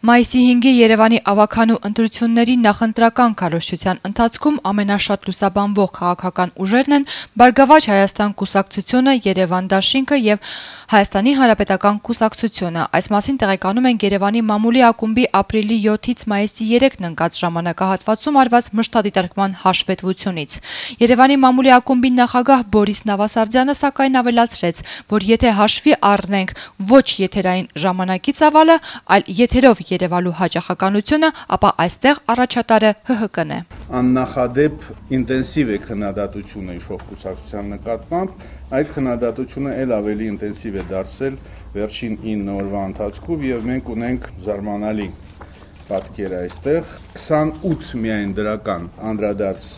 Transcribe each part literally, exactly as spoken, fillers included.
Մայիսի հինգի Երևանի ավագանու ընտրությունների նախընտրական քարոզչության ընթացքում ամենաշատ լուսաբանվող քաղաքական ուժերն են Բարգավաճ Հայաստան կուսակցությունը, Երևան դաշինքը եւ Հայաստանի Հանրապետական կուսակցությունը։ Այս մասին տեղեկանում են Երևանի մամուլի ակումբի ապրիլի յոթից մայիսի երեքն ընկած ժամանակահատվածում արված մշտադիտարկման հաշվետվությունից։ Երևանի մամուլի ակումբի նախագահ Բորիս Նավասարդյանը սակայն ավելացրեց, որ եթե հաշվի առնենք ոչ եթերային ժամանակի ծավալը, այլ եթերով երևալու հաճախականությունը, ապա այստեղ առաջատարը Հ Հ Կն է։ Աննախադեպ ինտենսիվ է քննադատությունը իշխող կուսակցության նկատմամբ, այդ քննադատությունը ել ավելի ինտենսիվ է դարձել վերջին ինը օրվա ընթացքում եւ մենք ունենք զարմանալի պատկեր այստեղ քսանութ միայն դրական անդրադարձ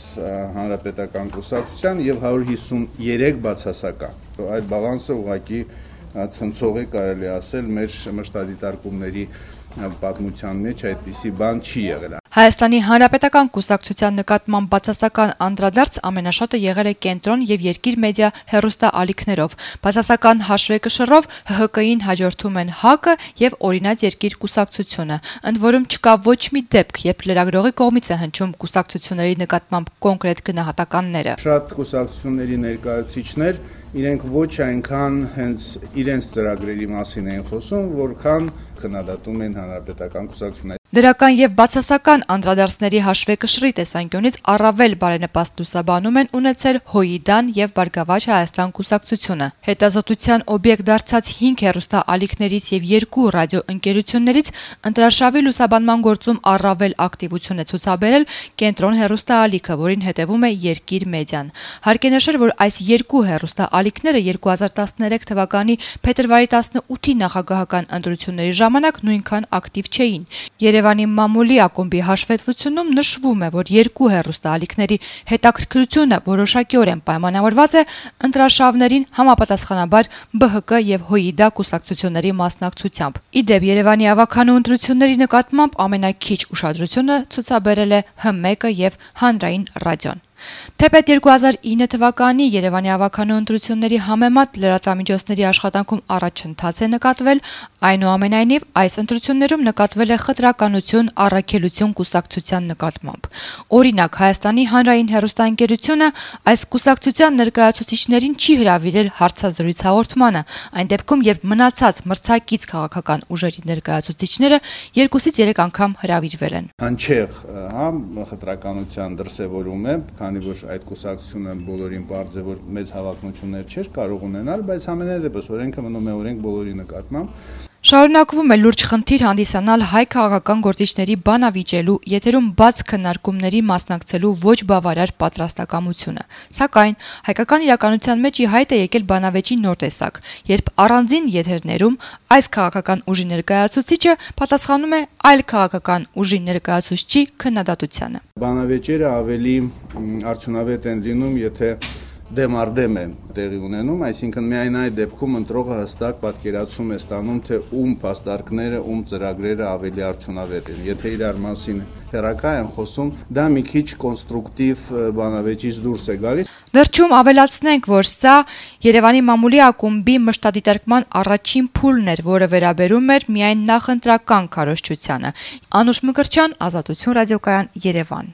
հանրապետական կուսակցության եւ հարյուր հիսունյոթ բացասական։ Այդ բալանսը ուղղակի ցնցող է, կարելի ասել, մեր մշտադիտարկումների պատմության մեջ այդպիսի բան չի եղել։ Հայաստանի Հանրապետական կուսակցության նկատմամբ բացասական անդրադարձ ամենաշատը եղել է Կենտրոն եւ Երկիր մեդիա հեռուստաալիքներով։ Բացասական հաշվեկշռով Հ Հ Կին հաջորդում են Հ Կ եւ Օրինաց Երկիր կուսակցությունը, ընդ որում չկա ոչ մի դեպք, երբ լրագրողի կողմից է հնչում կուսակցությունների նկատմամբ կոնկրետ գնահատականները։ Շատ կուսակցությունների ներկայացուցիչներ իրենք ոչ այնքան հենց իրենց ծրագրերի մասին են խոսում, որքան քննադատում են հանրապետական կուսակցությունը։ Դրական եւ բացասական անդրադարձների հաշվեկշռի տեսանկյունից առավել բարենպաստ լուսաբանում են ունեցել Հոյիդան եւ Բարգավաճ Հայաստան կուսակցությունը։ Հետազոտության օբյեկտ դարձած հինգ հեռուստաալիքներից եւ երկու ռադիոընկերություններից ընտրարշավի լուսաբանման գործում առավել ակտիվություն է ցուցաբերել Կենտրոն հեռուստաալիքը, որին հետևում է Երկիր մեդիան։ Հարկ է նշել, որ այս երկու հեռուստաալիքները երկու հազար տասներեք թվականի փետրվարի տասնութի նախագահական ընտրությունների ժամանակ նույնքան ակտիվ չէին։ Երևանի մամուլի ակումբի հաշվետվությունում նշվում է, որ երկու հեռուստաալիքների հետաքրքրությունը որոշակիորեն պայմանավորված է ընտրարշավներին համապատասխանաբար Բ Հ Կ եւ Հոյիդա կուսակցությունների մասնակցությամբ։ Ի դեպ, Երևանի ավագանու ընտրությունների նկատմամբ ամենաքիչ ուշադրությունը ցուցաբերել է Հ մեկը եւ Հանրային ռադիոն։ Թեպետ երկու հազար ինը թվականի Երևանի ավագանու ընտրությունների համեմատ լրատվամիջոցների աշխատանքում առաջընթաց է նկատվել, այնուամենայնիվ այս ընտրություններում նկատվել է խտրականություն, առաքելություն կուսակցության նկատմամբ։ Օրինակ, Հայաստանի Հանրային հեռուստաընկերությունը այս կուսակցության ներկայացուցիչներին չի հրավիրել հարցազրույց հաղորդմանը, այն դեպքում, երբ մնացած մրցակից քաղաքական ուժերի ներկայացուցիչները երկուսից երեք անգամ հրավիրվել են։ Հնչեղ, հա, խտրականության դրսևորում է, քանի որ այդ կուսակցությունը բոլորին պարզ է, որ մեծ հավակնություններ չէր կարող ունենալ, բայց ամենայնիվս օրենքը մնում է օրենք բոլորի նկատմամբ։ Շարունակվում է լուրջ խնդիր հանդիսանալ հայ քաղաքական գործիչների բանավիճելու, եթերում բաց քննարկումների մասնակցելու ոչ բավարար պատրաստակամությունը։ Սակայն հայկական իրականության մեջ ի հայտ է եկել բանավեճի նոր տեսակ, երբ առանձին եթերներում այս քաղաքական ուժի ներկայացուցիչը պատասխանում է այլ քաղաքական ուժի ներկայացուցչի քննադատությանը։ Բանավեճերը ավելի արդյունավետ են լինում, եթե դեմ առ դեմ է տեղի ունենում, այսինքն միայն այդ դեպքում ընտրողը հստակ պատկերացում է ստանում, թե ում փաստարկները, ում ծրագրերը ավելի արդյունավետ են։ Եթե իրար մասին հերակա են խոսում, դա մի քիչ կոնստրուկտիվ բանավեճից դուրս է գալիս։ Վերջում ավելացնենք, որ սա Երևանի մամուլի ակումբի մշտադիտարկման առաջին փուլն էր, որը վերաբերում էր միայն նախընտրական քարոզչությանը։ Անուշ Մկրտչյան, Ազատություն ռադիոկայան, Երևան։